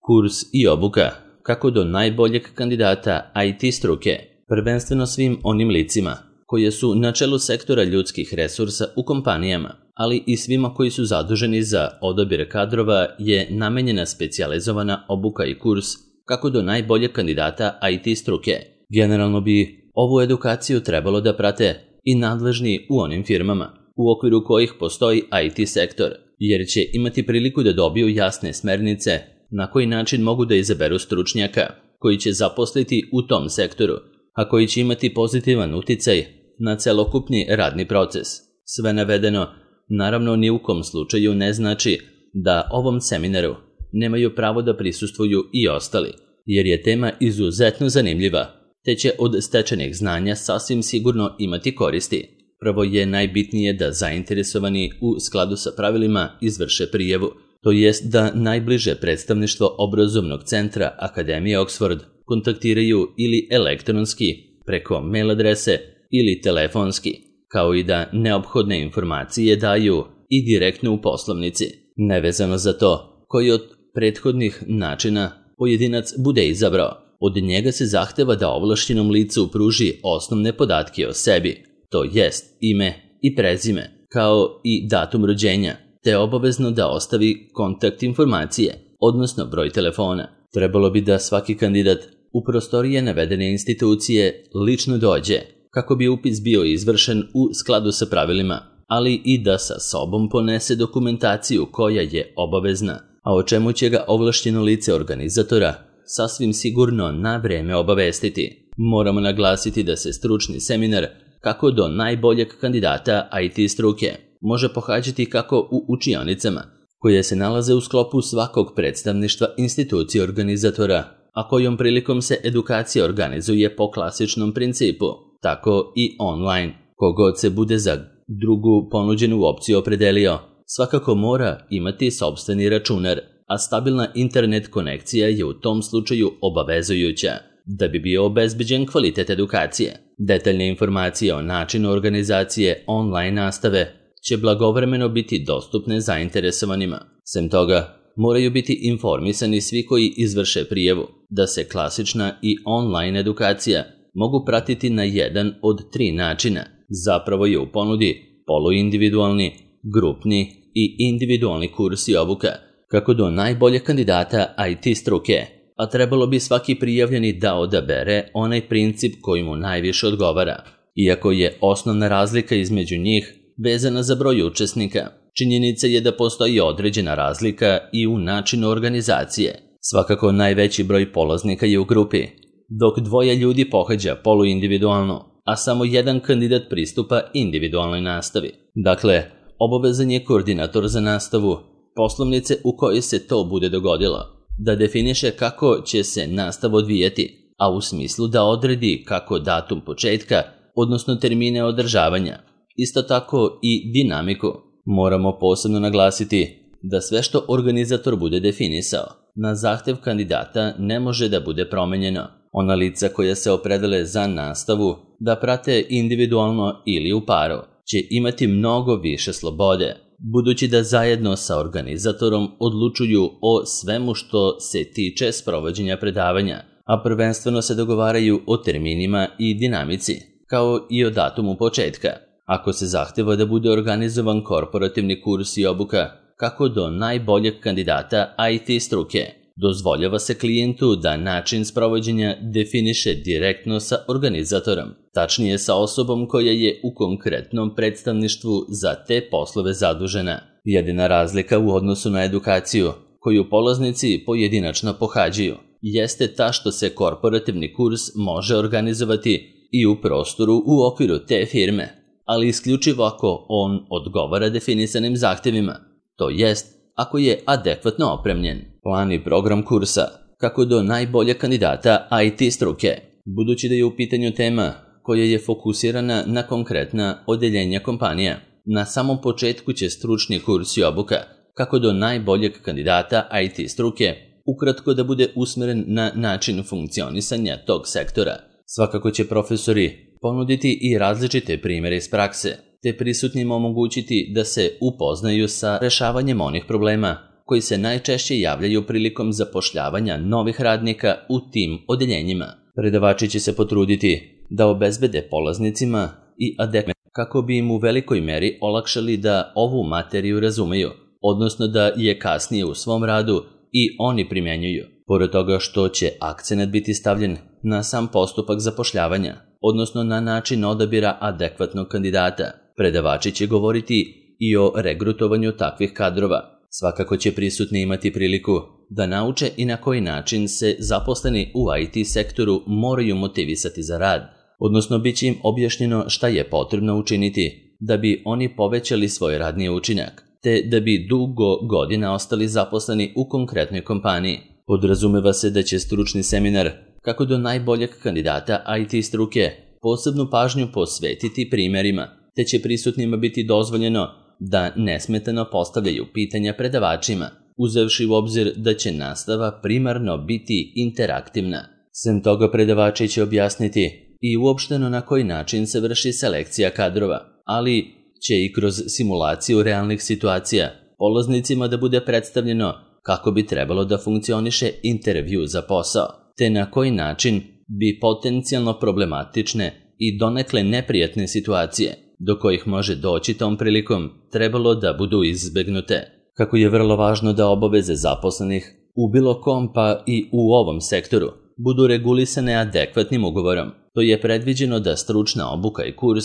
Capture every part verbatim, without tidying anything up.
Kurs i obuka kako do najboljeg kandidata I T struke, prvenstveno svim onim licima koje su na čelu sektora ljudskih resursa u kompanijama, ali i svima koji su zaduženi za odabir kadrova, je namenjena specijalizovana obuka i kurs kako do najboljeg kandidata I T struke. Generalno bi ovu edukaciju trebalo da prate i nadležni u onim firmama u okviru kojih postoji I T sektor, jer će imati priliku da dobiju jasne smernice na koji način mogu da izaberu stručnjaka koji će zaposliti u tom sektoru, a koji će imati pozitivan uticaj na celokupni radni proces. Sve navedeno, naravno, ni u kom slučaju ne znači da ovom seminaru nemaju pravo da prisustvuju i ostali, jer je tema izuzetno zanimljiva, te će od stečenih znanja sasvim sigurno imati koristi. Prvo je najbitnije da zainteresovani u skladu sa pravilima izvrše prijavu, to jest da najbliže predstavništvo obrazovnog centra Akademije Oxford kontaktiraju ili elektronski preko mail adrese ili telefonski, kao i da neophodne informacije daju i direktno u poslovnici. Nevezano za to koji od prethodnih načina pojedinac bude izabrao, od njega se zahteva da ovlašćenom licu pruži osnovne podatke o sebi, to jest ime i prezime, kao i datum rođenja, te obavezno da ostavi kontakt informacije, odnosno broj telefona. Trebalo bi da svaki kandidat u prostorije navedene institucije lično dođe, kako bi upis bio izvršen u skladu sa pravilima, ali i da sa sobom ponese dokumentaciju koja je obavezna, a o čemu će ga ovlašćeno lice organizatora sasvim sigurno na vreme obavestiti. Moramo naglasiti da se stručni seminar kako do najboljeg kandidata I T struke može pohađati kako u učionicama, koje se nalaze u sklopu svakog predstavništva institucije organizatora, a kojom prilikom se edukacija organizuje po klasičnom principu, tako i online. Kogod se bude za drugu ponuđenu opciju opredelio, svakako mora imati sopstveni računar, a stabilna internet konekcija je u tom slučaju obavezujuća, da bi bio obezbeđen kvalitet edukacije. Detaljne informacije o načinu organizacije online nastave će blagovremeno biti dostupne zainteresovanima. Sem toga, moraju biti informisani svi koji izvrše prijavu da se klasična i online edukacija mogu pratiti na jedan od tri načina. Zapravo je u ponudi poluindividualni, grupni i individualni kurs i obuka kako do najboljeg kandidata I T struke, a trebalo bi svaki prijavljeni da odabere onaj princip koji mu najviše odgovara. Iako je osnovna razlika između njih vezana za broj učesnika, činjenica je da postoji određena razlika i u načinu organizacije. Svakako najveći broj polaznika je u grupi, dok dvoje ljudi pohađa poluindividualno, a samo jedan kandidat pristupa individualnoj nastavi. Dakle, obavezan je koordinator za nastavu poslovnice u kojoj se to bude dogodilo da definiše kako će se nastava odvijati, a u smislu da odredi kako datum početka, odnosno termine održavanja, isto tako i dinamiku. Moramo posebno naglasiti da sve što organizator bude definisao na zahtev kandidata ne može da bude promenjeno. Ona lica koja se opredele za nastavu da prate individualno ili u paru će imati mnogo više slobode, budući da zajedno sa organizatorom odlučuju o svemu što se tiče sprovođenja predavanja, a prvenstveno se dogovaraju o terminima i dinamici, kao i o datumu početka. Ako se zahteva da bude organizovan korporativni kurs i obuka kako do najboljeg kandidata I T struke, dozvoljava se klijentu da način sprovođenja definiše direktno sa organizatorom, tačnije sa osobom koja je u konkretnom predstavništvu za te poslove zadužena. Jedina razlika u odnosu na edukaciju koju polaznici pojedinačno pohađaju jeste ta što se korporativni kurs može organizovati i u prostoru u okviru te firme, ali isključivo ako on odgovara definisanim zahtevima, to jest ako je adekvatno opremljen. Plan i program kursa kako do najboljeg kandidata I T struke, budući da je u pitanju tema koja je fokusirana na konkretna odeljenja kompanija. Na samom početku će stručni kurs i obuka kako do najboljeg kandidata I T struke ukratko da bude usmeren na način funkcionisanja tog sektora. Svakako će profesori ponuditi i različite primjere iz prakse, te prisutnima omogućiti da se upoznaju sa rešavanjem onih problema koji se najčešće javljaju prilikom zapošljavanja novih radnika u tim odeljenjima. Predavači će se potruditi da obezbede polaznicima i adekvatne kako bi im u velikoj meri olakšali da ovu materiju razumeju, odnosno da je kasnije u svom radu i oni primjenjuju. Pored toga što će akcenat biti stavljen na sam postupak zapošljavanja, odnosno na način odabira adekvatnog kandidata, predavači će govoriti i o regrutovanju takvih kadrova. Svakako će prisutni imati priliku da nauče i na koji način se zaposleni u I T sektoru moraju motivisati za rad, odnosno bit će im objašnjeno šta je potrebno učiniti da bi oni povećali svoj radni učinak, te da bi dugo godina ostali zaposleni u konkretnoj kompaniji. Podrazumeva se da će stručni seminar, kako do najboljeg kandidata I T struke, posebnu pažnju posvetiti primjerima, te će prisutnima biti dozvoljeno da nesmetano postavljaju pitanja predavačima, uzevši u obzir da će nastava primarno biti interaktivna. Sem toga, predavači će objasniti i uopšteno na koji način se vrši selekcija kadrova, ali će i kroz simulaciju realnih situacija polaznicima da bude predstavljeno kako bi trebalo da funkcioniše intervju za posao, te na koji način bi potencijalno problematične i donekle neprijatne situacije, do kojih može doći tom prilikom, trebalo da budu izbegnute. Kako je vrlo važno da obaveze zaposlenih u bilo kom pa i u ovom sektoru budu regulisane adekvatnim ugovorom, to je predviđeno da stručna obuka i kurs,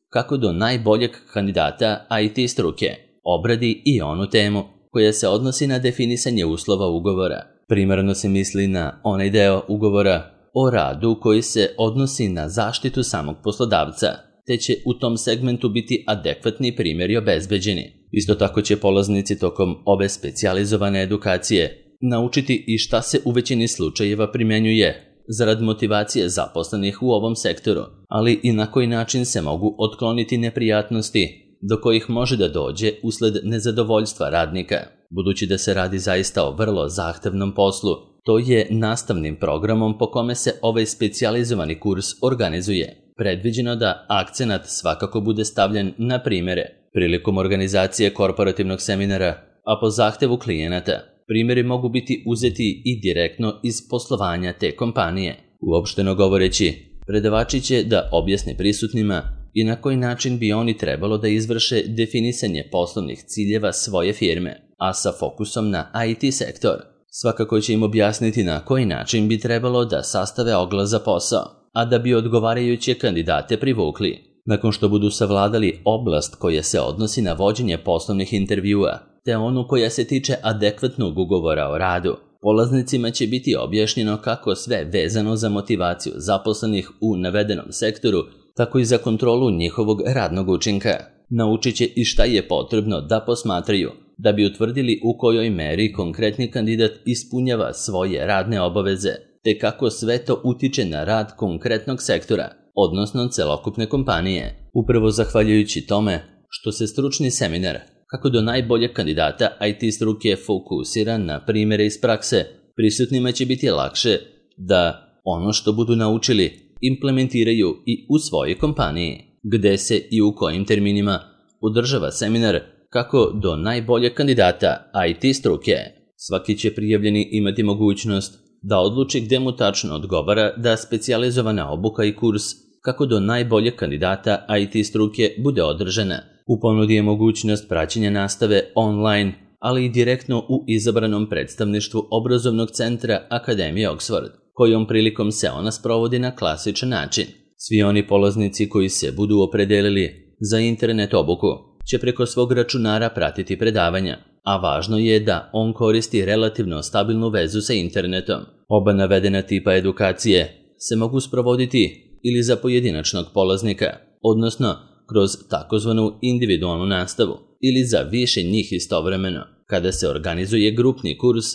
kako do najboljeg kandidata I T struke, obradi i onu temu koja se odnosi na definisanje uslova ugovora. Primarno se misli na onaj deo ugovora o radu koji se odnosi na zaštitu samog poslodavca, te će u tom segmentu biti adekvatni primjeri obezbeđeni. Isto tako će polaznici tokom ove specijalizovane edukacije naučiti i šta se u većini slučajeva primjenjuje zarad motivacije zaposlenih u ovom sektoru, ali i na koji način se mogu otkloniti neprijatnosti do kojih može da dođe usled nezadovoljstva radnika. Budući da se radi zaista o vrlo zahtevnom poslu, to je nastavnim programom po kome se ovaj specijalizovani kurs organizuje predviđeno da akcenat svakako bude stavljen na primjere. Prilikom organizacije korporativnog seminara, a po zahtevu klijenata, primjeri mogu biti uzeti i direktno iz poslovanja te kompanije. Uopšteno govoreći, predavači će da objasne prisutnima i na koji način bi oni trebalo da izvrše definisanje poslovnih ciljeva svoje firme, a sa fokusom na I T sektor. Svakako će im objasniti na koji način bi trebalo da sastave oglas za posao, a da bi odgovarajuće kandidate privukli. Nakon što budu savladali oblast koja se odnosi na vođenje poslovnih intervjua, te onu koja se tiče adekvatnog ugovora o radu, polaznicima će biti objašnjeno kako sve vezano za motivaciju zaposlenih u navedenom sektoru, tako i za kontrolu njihovog radnog učinka. Naučit će i šta je potrebno da posmatraju, da bi utvrdili u kojoj meri konkretni kandidat ispunjava svoje radne obaveze, te kako sve to utiče na rad konkretnog sektora, odnosno celokupne kompanije. Upravo zahvaljujući tome što se stručni seminar, kako do najboljeg kandidata I T struke, fokusira na primjere iz prakse, prisutnima će biti lakše da ono što budu naučili implementiraju i u svojoj kompaniji, gde se i u kojim terminima održava seminar kako do najboljeg kandidata I T struke. Svaki će prijavljeni imati mogućnost da odluči gde mu tačno odgovara da specijalizovana obuka i kurs kako do najboljeg kandidata I T struke bude održana. U ponudi je mogućnost praćenja nastave online, ali i direktno u izabranom predstavništvu obrazovnog centra Akademije Oxford, kojom prilikom se ona sprovodi na klasičan način. Svi oni polaznici koji se budu opredelili za internet obuku će preko svog računara pratiti predavanja, a važno je da on koristi relativno stabilnu vezu sa internetom. Oba navedena tipa edukacije se mogu sprovoditi ili za pojedinačnog polaznika, odnosno kroz takozvanu individualnu nastavu, ili za više njih istovremeno, kada se organizuje grupni kurs,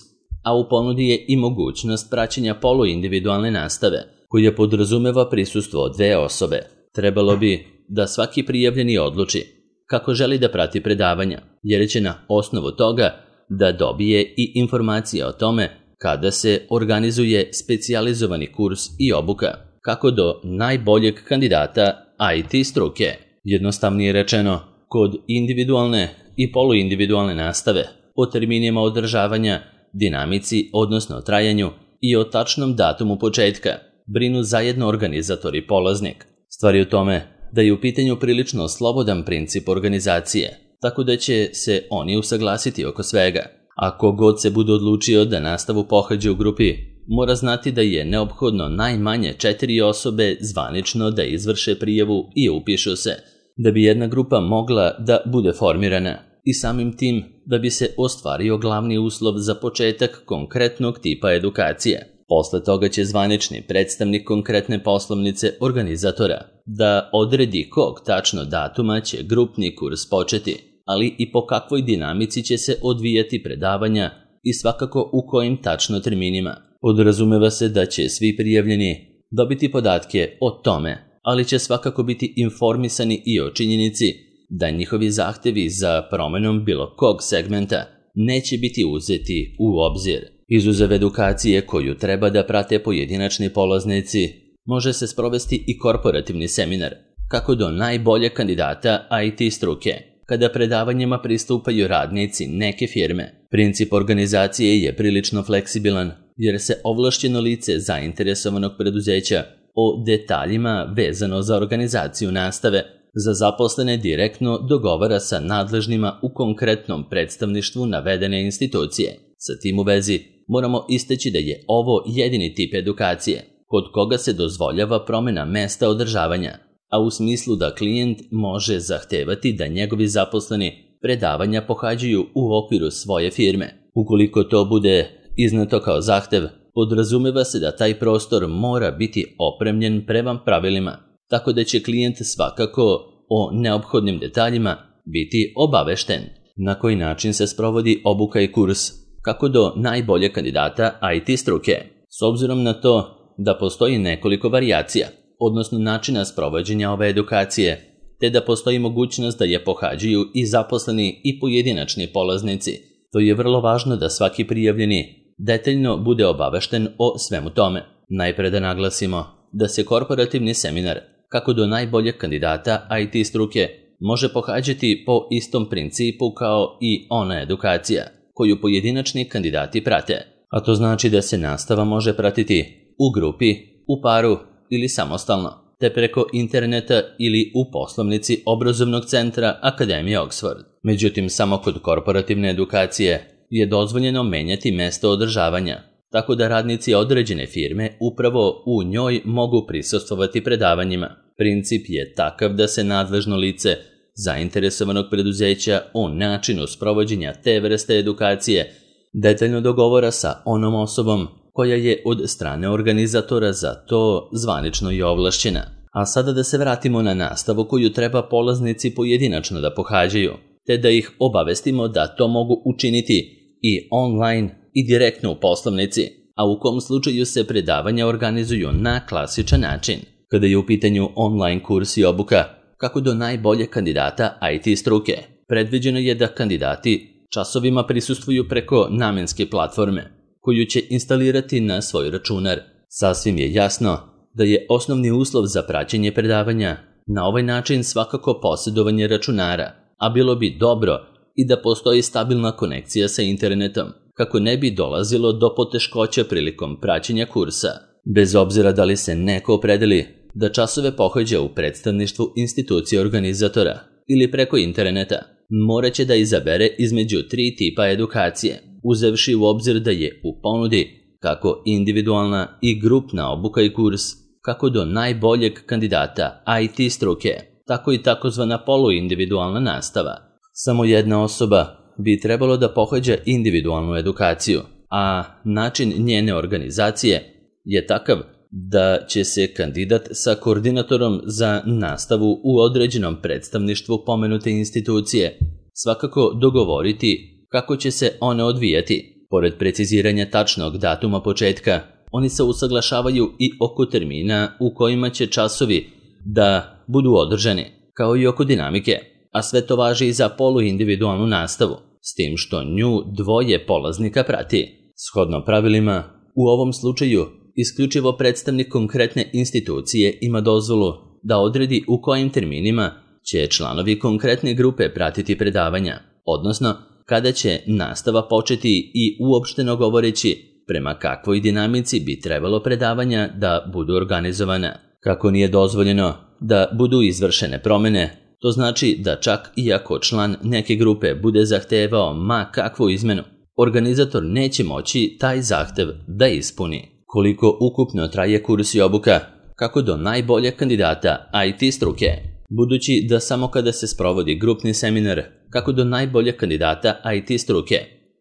a u ponudi je i mogućnost praćenja poluindividualne nastave, koja podrazumeva prisustvo dve osobe. Trebalo bi da svaki prijavljeni odluči kako želi da prati predavanja, jer će na osnovu toga da dobije i informacije o tome kada se organizuje specijalizovani kurs i obuka, kako do najboljeg kandidata I T struke. Jednostavnije rečeno, kod individualne i poluindividualne nastave o terminima održavanja, dinamici, odnosno trajanju i o tačnom datumu početka brinu zajedno organizator i polaznik. Stvar je u tome da je u pitanju prilično slobodan princip organizacije, tako da će se oni usaglasiti oko svega. Ako god se bude odlučio da nastavu pohađa u grupi, mora znati da je neophodno najmanje četiri osobe zvanično da izvrše prijavu i upišu se, da bi jedna grupa mogla da bude formirana i samim tim da bi se ostvario glavni uslov za početak konkretnog tipa edukacije. Posle toga će zvanični predstavnik konkretne poslovnice organizatora da odredi kog tačno datuma će grupni kurs početi, ali i po kakvoj dinamici će se odvijati predavanja i svakako u kojim tačno terminima. Podrazumeva se da će svi prijavljeni dobiti podatke o tome, ali će svakako biti informisani i o činjenici da njihovi zahtevi za promenom bilo kog segmenta neće biti uzeti u obzir. Izuzev edukacije koju treba da prate pojedinačni polaznici, može se sprovesti i korporativni seminar, kako do najbolje kandidata I T struke, kada predavanjima pristupaju radnici neke firme. Princip organizacije je prilično fleksibilan, jer se ovlašćeno lice zainteresovanog preduzeća o detaljima vezano za organizaciju nastave za zaposlene direktno dogovara sa nadležnima u konkretnom predstavništvu navedene institucije. Sa tim u vezi moramo istaći da je ovo jedini tip edukacije kod koga se dozvoljava promjena mesta održavanja, a u smislu da klijent može zahtevati da njegovi zaposleni predavanja pohađaju u okviru svoje firme. Ukoliko to bude izneto kao zahtev, podrazumeva se da taj prostor mora biti opremljen prema pravilima, tako da će klijent svakako o neophodnim detaljima biti obavešten. Na koji način se sprovodi obuka i kurs, kako do najbolje kandidata I T struke, s obzirom na to da postoji nekoliko varijacija, odnosno načina sprovođenja ove edukacije, te da postoji mogućnost da je pohađaju i zaposleni i pojedinačni polaznici. To je vrlo važno da svaki prijavljeni detaljno bude obavešten o svemu tome. Najpre da naglasimo da se korporativni seminar, kako do najboljeg kandidata I T struke, može pohađati po istom principu kao i ona edukacija koju pojedinačni kandidati prate, a to znači da se nastava može pratiti u grupi, u paru ili samostalno, te preko interneta ili u poslovnici obrazovnog centra Akademije Oxford. Međutim, samo kod korporativne edukacije je dozvoljeno menjati mesto održavanja, tako da radnici određene firme upravo u njoj mogu prisustvovati predavanjima. Princip je takav da se nadležno lice zainteresovanog preduzeća o načinu sprovođenja te vrste edukacije detaljno dogovora sa onom osobom koja je od strane organizatora za to zvanično i ovlašćena. A sada da se vratimo na nastavu koju treba polaznici pojedinačno da pohađaju, te da ih obavestimo da to mogu učiniti i online i direktno u poslovnici, a u kom slučaju se predavanja organizuju na klasičan način. Kada je u pitanju online kurs i obuka, kako do najbolje kandidata I T struke, predviđeno je da kandidati časovima prisustvuju preko namenske platforme, koju će instalirati na svoj računar. Sasvim je jasno da je osnovni uslov za praćenje predavanja na ovaj način svakako posjedovanje računara, a bilo bi dobro i da postoji stabilna konekcija sa internetom, kako ne bi dolazilo do poteškoća prilikom praćenja kursa. Bez obzira da li se neko opredeli da časove pohađa u predstavništvu institucije organizatora ili preko interneta, morat će da izabere između tri tipa edukacije, uzevši u obzir da je u ponudi kako individualna i grupna obuka i kurs, kako do najboljeg kandidata I T struke, tako i takozvana poluindividualna nastava. Samo jedna osoba bi trebalo da pohađa individualnu edukaciju, a način njene organizacije je takav da će se kandidat sa koordinatorom za nastavu u određenom predstavništvu pomenute institucije svakako dogovoriti kako će se one odvijati. Pored preciziranja tačnog datuma početka, oni se usaglašavaju i oko termina u kojima će časovi da budu održani, kao i oko dinamike, a sve to važi i za poluindividualnu nastavu, s tim što nju dvoje polaznika prati. Shodno pravilima, u ovom slučaju isključivo predstavnik konkretne institucije ima dozvolu da odredi u kojim terminima će članovi konkretne grupe pratiti predavanja, odnosno kada će nastava početi i uopšteno govoreći prema kakvoj dinamici bi trebalo predavanja da budu organizovana. Kako nije dozvoljeno da budu izvršene promene, to znači da čak i ako član neke grupe bude zahtevao ma kakvu izmenu, organizator neće moći taj zahtev da ispuni. Koliko ukupno traje kurs i obuka, kako do najboljeg kandidata I T struke, budući da samo kada se sprovodi grupni seminar, kako do najboljeg kandidata I T struke,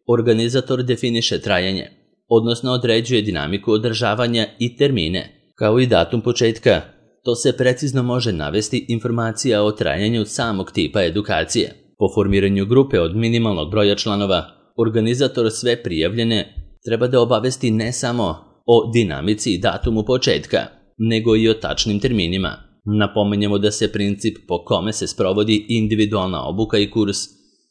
organizator definiše trajanje, odnosno određuje dinamiku održavanja i termine, kao i datum početka. To se precizno može navesti informacija o trajanju samog tipa edukacije. Po formiranju grupe od minimalnog broja članova, organizator sve prijavljene treba da obavesti ne samo o dinamici i datumu početka, nego i o tačnim terminima. Napomenjemo da se princip po kome se sprovodi individualna obuka i kurs,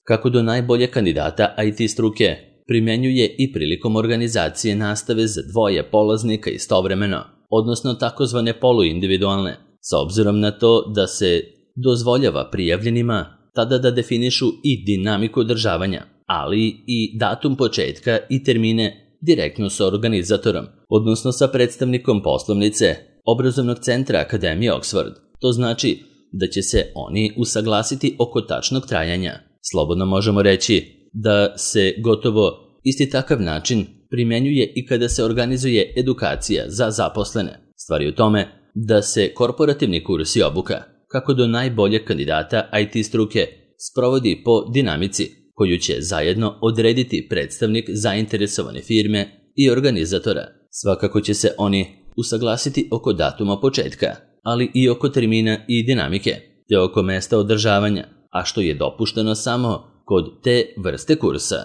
kako do najbolje kandidata I T struke, primjenjuje i prilikom organizacije nastave za dvoje polaznika istovremeno, odnosno takozvane poluindividualne, s obzirom na to da se dozvoljava prijavljenima tada da definišu i dinamiku održavanja, ali i datum početka i termine direktno sa organizatorom, odnosno sa predstavnikom poslovnice obrazovnog centra Akademije Oxford. To znači da će se oni usaglasiti oko tačnog trajanja. Slobodno možemo reći da se gotovo isti takav način primjenjuje i kada se organizuje edukacija za zaposlene. Stvar je u tome da se korporativni kurs i obuka, kako do najboljeg kandidata I T struke, sprovodi po dinamici koju će zajedno odrediti predstavnik zainteresovane firme i organizatora. Svakako će se oni usaglasiti oko datuma početka, ali i oko termina i dinamike, te oko mesta održavanja, a što je dopušteno samo kod te vrste kursa.